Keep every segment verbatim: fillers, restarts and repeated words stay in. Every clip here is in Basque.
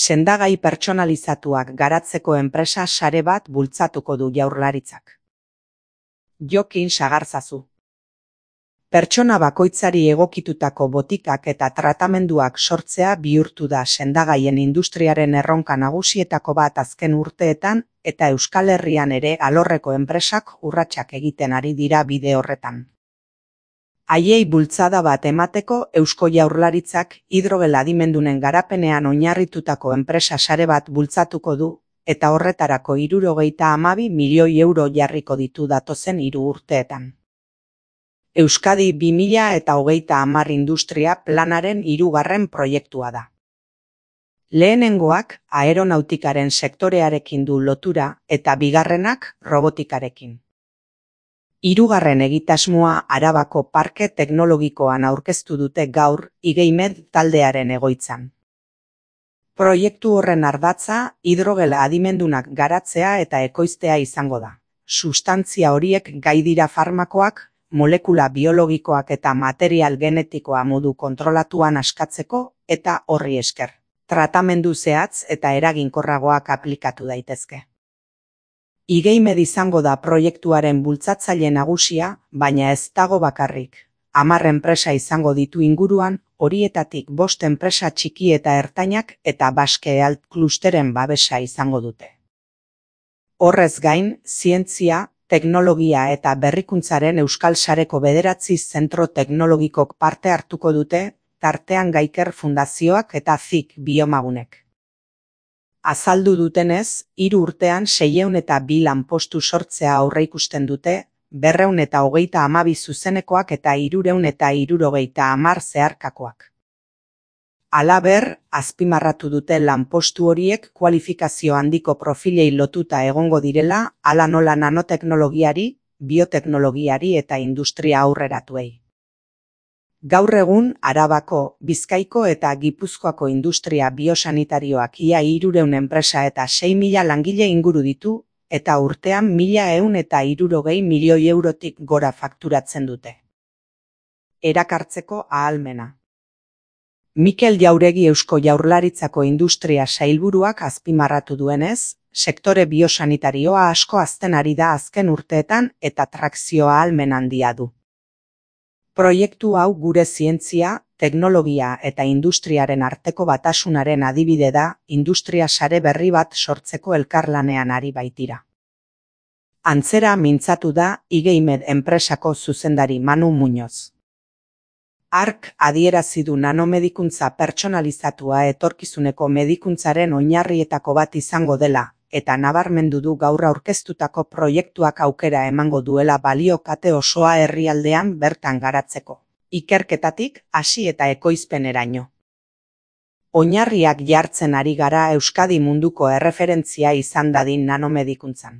Sendagai pertsonalizatuak garatzeko enpresa sare bat bultzatuko du Jaurlaritzak. Jokin Sagarzazu. Pertsona bakoitzari egokitutako botikak eta tratamenduak sortzea bihurtu da sendagaien industriaren erronka nagusietako bat azken urteetan, eta Euskal Herrian ere alorreko enpresak urratsak egiten ari dira bide horretan. Haiei bultzada bat emateko Eusko Jaurlaritzak hidrogel adimendunen garapenean oinarritutako enpresa sare bat bultzatuko du, eta horretarako hirurogeita hamabi milioi euro jarriko ditu datozen hiru urteetan. Euskadi bi mila eta hogeita hamar industria planaren hirugarren proiektua da. Lehenengoak aeronautikaren sektorearekin du lotura eta bigarrenak robotikarekin. Hirugarren egitasmoa Arabako Parke Teknologikoan aurkeztu dute gaur Igeimed taldearen egoitzan. Proiektu horren ardatza hidrogel adimendunak garatzea eta ekoiztea izango da. Sustantzia horiek gai dira farmakoak, molekula biologikoak eta material genetikoa modu kontrolatuan askatzeko eta horri esker. Tratamendu zehatz eta eraginkorragoak aplikatu daitezke. Igeimed izango da proiektuaren bultzatzaile nagusia, baina ez dago bakarrik. Hamar enpresa izango ditu inguruan, horietatik bost enpresa txiki eta ertainak eta Basque Health klusteren babesa izango dute. Horrez gain, zientzia, teknologia eta berrikuntzaren Euskal Sareko bederatzi zentro teknologikok parte hartuko dute, tartean Gaiker Fundazioak eta Z I K Biomagunek. Azaldu dutenez, hiru urtean seiehun eta bi lanpostu sortzea aurreikusten dute, berrehun eta hogeita hamabi zuzenekoak eta hirurehun eta hirurogeita hamar zeharkakoak. Halaber, azpimarratu dute lanpostu horiek kualifikazio handiko profilei lotuta egongo direla, hala nola nanoteknologiari, bioteknologiari eta industria aurreratuei. Gaur egun, Arabako, Bizkaiko eta Gipuzkoako industria biosanitarioak ia hirurehun enpresa eta sei mila langile inguru ditu, eta urtean mila ehun eta hirurogei milioi eurotik gora fakturatzen dute. Erakartzeko ahalmena. Mikel Jauregi Eusko Jaurlaritzako Industria Sailburuak azpimarratu duenez, sektore biosanitarioa asko hazten ari da azken urteetan eta trakzio ahalmen handia du. Proiektu hau gure zientzia, teknologia eta industriaren arteko batasunaren adibide da, industria sare berri bat sortzeko elkarlanean ari baitira. Antzera mintzatu da Igeimed enpresako zuzendari Manu Muñoz. Ark adierazi du nanomedikuntza pertsonalizatua etorkizuneko medikuntzaren oinarrietako bat izango dela, eta nabarmendu du gaur aurkeztutako proiektuak aukera emango duela balio kate osoa herrialdean bertan garatzeko. Ikerketatik hasi eta ekoizpeneraino. Oinarriak jartzen ari gara Euskadi munduko erreferentzia izan dadin nanomedikuntzan.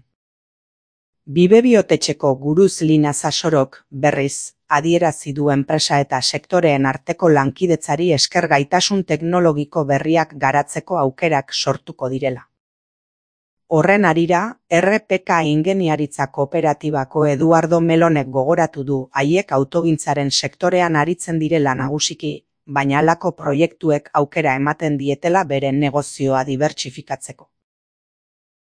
Bibe Biotetxeko guruz Lina Sasorok, berriz, adierazi du enpresa eta sektoreen arteko lankidetzari esker gaitasun teknologiko berriak garatzeko aukerak sortuko direla. Horren harira, R P K Ingeniaritza Kooperatibako Eduardo Melonek gogoratu du haiek autogintzaren sektorean aritzen direla nagusiki, baina halako proiektuek aukera ematen dietela beren negozioa dibertsifikatzeko.